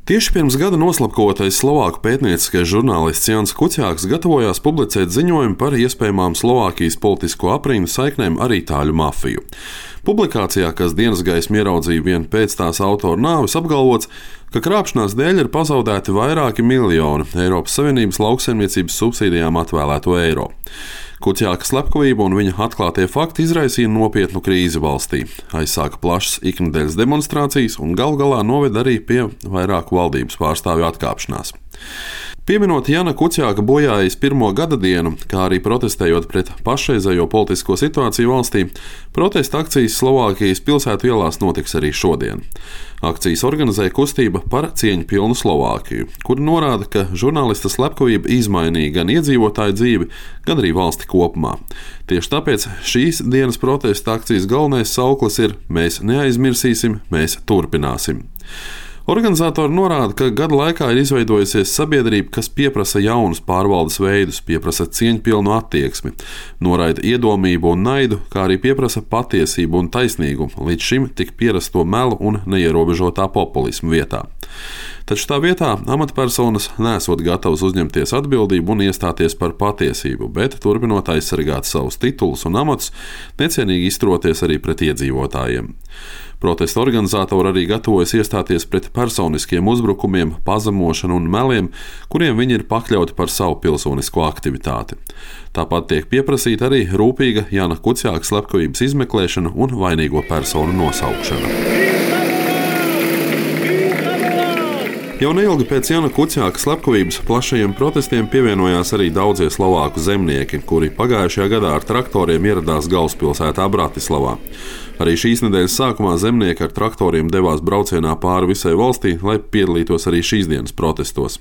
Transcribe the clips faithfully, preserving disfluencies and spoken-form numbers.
Tieši pirms gada noslapkotais slovāku pētnieciskais žurnālists Jānis Kuciāks gatavojās publicēt ziņojumu par iespējamām Slovākijas politisko aprindu saiknēm ar itāļu mafiju. Publikācijā, kas dienas gaismu ieraudzīja vien pēc tās autora nāves, apgalvots, ka krāpšanās dēļ ir pazaudēti vairāki miljoni Eiropas Savienības lauksaimniecības subsīdijām atvēlēto eiro. Kuciāka slepkavība un viņa atklātie fakti izraisīja nopietnu krīzi valstī, aizsāka plašas iknedēļas demonstrācijas un galu galā noveda arī pie vairāku valdības pārstāvju atkāpšanās. Pieminot Jāna Kuciāka bojājas pirmo gada dienu, kā arī protestējot pret pašreizējo politisko situāciju valstī, protesta akcijas Slovākijas pilsētu ielās notiks arī šodien. Akcijas organizēja kustība par cieņpilnu Slovākiju, kur norāda, ka žurnālista slepkavība izmainīja gan iedzīvotāju dzīvi, gan arī valsti kopumā. Tieši tāpēc šīs dienas protesta akcijas galvenais sauklis ir "Mēs neaizmirsīsim, mēs turpināsim". Organizatori norāda, ka gada laikā ir izveidojusies sabiedrība, kas pieprasa jaunus pārvaldes veidus, pieprasa cieņpilnu attieksmi, noraida iedomību un naidu, kā arī pieprasa patiesību un taisnīgumu, līdz šim tik pierasto melu un neierobežotā populismu vietā. Taču tā vietā amatpersonas nesot gatavas uzņemties atbildību un iestāties par patiesību, bet turpinot aizsargāt savus titulus un amatus, necienīgi izturoties arī pret iedzīvotājiem. Protesta organizatori arī gatavojas iestāties pret personiskiem uzbrukumiem, pazemošanu un meliem, kuriem viņi ir pakļauti par savu pilsonisko aktivitāti. Tāpat tiek pieprasīta arī rūpīga Jāna Kuciāka slepkavības izmeklēšana un vainīgo personu nosaukšana. Jau neilgi pēc Jāna Kuciāka slepkavības plašajiem protestiem pievienojās arī daudzie slovāku zemnieki, kuri pagājušajā gadā ar traktoriem ieradās galvaspilsētā Bratislavā. Arī šīs nedēļas sākumā zemnieki ar traktoriem devās braucienā pāri visai valstī, lai piedalītos arī šīs dienas protestos.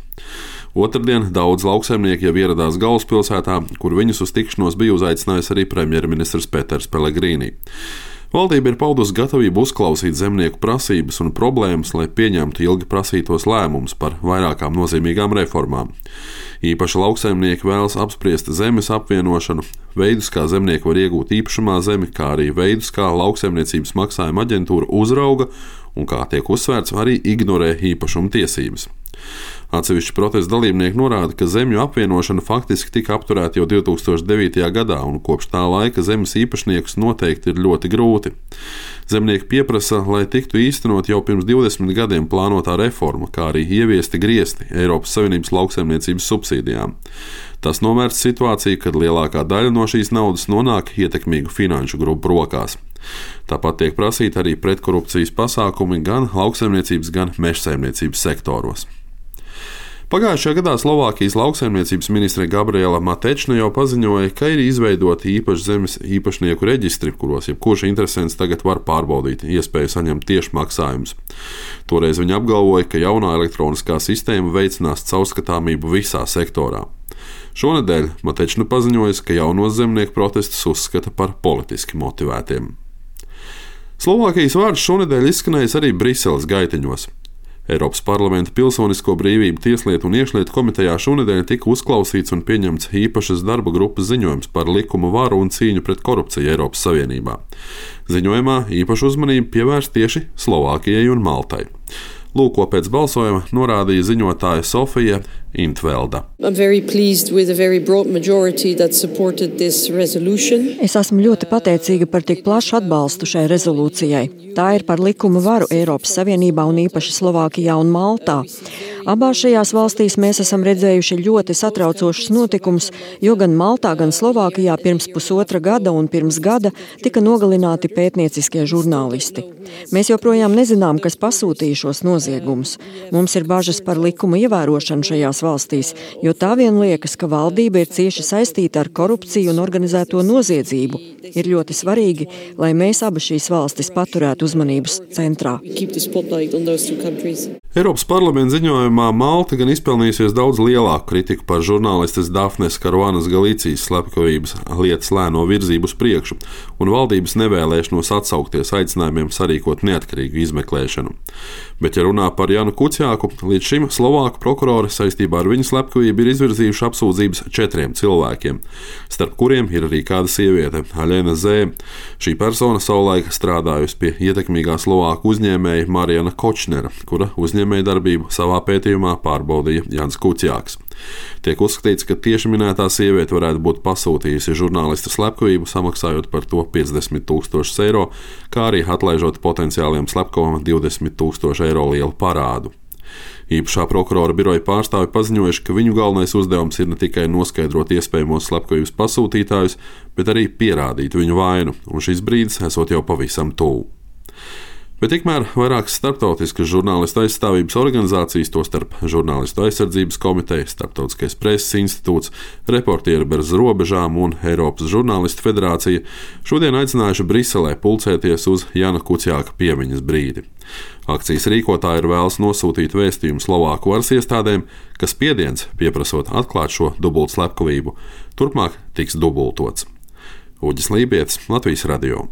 Otrdien daudz lauksaimnieki jau ieradās galvaspilsētā, kur viņus uz tikšanos bija uzaicinājis arī premjerministrs Peters Pellegrīni. Valdība ir paudusi gatavību uzklausīt zemnieku prasības un problēmas, lai pieņemtu ilgi prasītos lēmumus par vairākām nozīmīgām reformām. Īpaši lauksaimnieki vēlas apspriest zemes apvienošanu, veidus, kā zemnieki var iegūt īpašumā zemi, kā arī veidus, kā lauksaimniecības maksājuma aģentūra uzrauga un, kā tiek uzsvērts, arī ignorē īpašuma tiesības. Atsevišķi protesta dalībnieki norāda, ka zemju apvienošana faktiski tika apturēta jau divi tūkstoši devītajā gadā, un kopš tā laika zemes īpašniekus noteikti ir ļoti grūti. Zemnieki pieprasa, lai tiktu īstenot jau pirms divdesmit gadiem plānotā reforma, kā arī ieviesti griesti Eiropas Savienības lauksaimniecības subsīdijām. Tas novērst situāciju, kad lielākā daļa no šīs naudas nonāk ietekmīgu finanšu grupu rokās. Tāpat tiek prasīti arī pretkorupcijas pasākumi gan lauksaimniecības, gan mežsaimniecības sektoros. Pagājušajā gadā Slovākijas lauksaimniecības ministre Gabriela Matečne jau paziņoja, ka ir izveidoti īpaši zemes īpašnieku reģistri, kuros jebkurš interesents tagad var pārbaudīt iespēju saņemt tieši maksājumus. Toreiz viņa apgalvoja, ka jaunā elektroniskā sistēma veicinās caurskatāmību visā sektorā. Šonedēļ Matečne paziņoja, ka jaunos zemnieku protestus uzskata par politiski motivētiem. Slovākijas vārds šonedēļ izskanējis arī Briseles gaiteņos. Eiropas parlamenta pilsonisko brīvību tieslietu un iekšlietu komitejā šonedēļ tika uzklausīts un pieņemts īpašas darba grupas ziņojums par likumu varu un cīņu pret korupciju Eiropas Savienībā. Ziņojumā īpašu uzmanību pievērst tieši Slovākijai un Maltai. Lūk, ko pēc balsojuma norādīja ziņotāja Sofija Intvelda. Es esmu ļoti pateicīga par tik plašu atbalstu šai rezolūcijai. Tā ir par likumu varu Eiropas Savienībā un īpaši Slovākijā un Maltā. Abās šajās valstīs mēs esam redzējuši ļoti satraucošus notikumus, jo gan Maltā, gan Slovākijā pirms pusotra gada un pirms gada tika nogalināti pētnieciskie žurnālisti. Mēs joprojām nezinām, kas pasūtīja šos noziegumus. Mums ir bažas par likumu ievērošanu šajās valstīs, jo tā vien liekas, ka valdība ir cieši saistīta ar korupciju un organizēto noziedzību. Ir ļoti svarīgi, lai mēs abas šīs valstis paturētu uzmanības centrā. Eiropas parlamenta ziņojumā Malta gan izpelnījusies daudz lielāku kritiku par žurnālistes Dafnes Karuanas Galicijas slepkavības lietas lēno virzību uz priekšu un valdības nevēlēšanos atsaukties aicinājumiem sarīkot neatkarīgu izmeklēšanu. Bet, ja runā par Jānu Kuciāku, līdz šim Slovāku prokurori saistībā ar viņu slepkavību ir izvirzījuši apsūdzības četriem cilvēkiem, starp kuriem ir arī kāda sieviete, Aļena Zē. Šī persona savulaik strādājusi pie ietekmīgā Slovāku uzņēmēja Marijana Kočnera, kura uzņēmēja uzņēmējdarbību savā pētījumā pārbaudīja Jānis Kucjāks. Tiek uzskatīts, ka tieši minētā sieviete varētu būt pasūtījusi žurnālista slepkavību, samaksājot par to piecdesmit tūkstošus eiro, kā arī atlaižot potenciāliem slepkavam divdesmit tūkstošu eiro lielu parādu. Īpašā prokurora biroja pārstāvi paziņojuši, ka viņu galvenais uzdevums ir ne tikai noskaidrot iespējamos slepkavības pasūtītājus, bet arī pierādīt viņu vainu, un šis brīdis esot jau pavisam tuvu. Bet tikmēr vairākas starptautiskas žurnālistu aizstāvības organizācijas, tostarp Žurnālistu aizsardzības komiteja, Starptautiskais preses institūts, Reportieri bez robežām un Eiropas žurnālistu federācija šodien aicinājuši Briselē pulcēties uz Jāna Kucjāka piemiņas brīdi. Akcijas rīkotāji ir vēlas nosūtīt vēstījumu Slovāku varas iestādēm, ka spiediens, pieprasot atklāt šo dubultslepkavību, turpmāk tiks dubultots. Uģis Lībietis, Latvijas radio.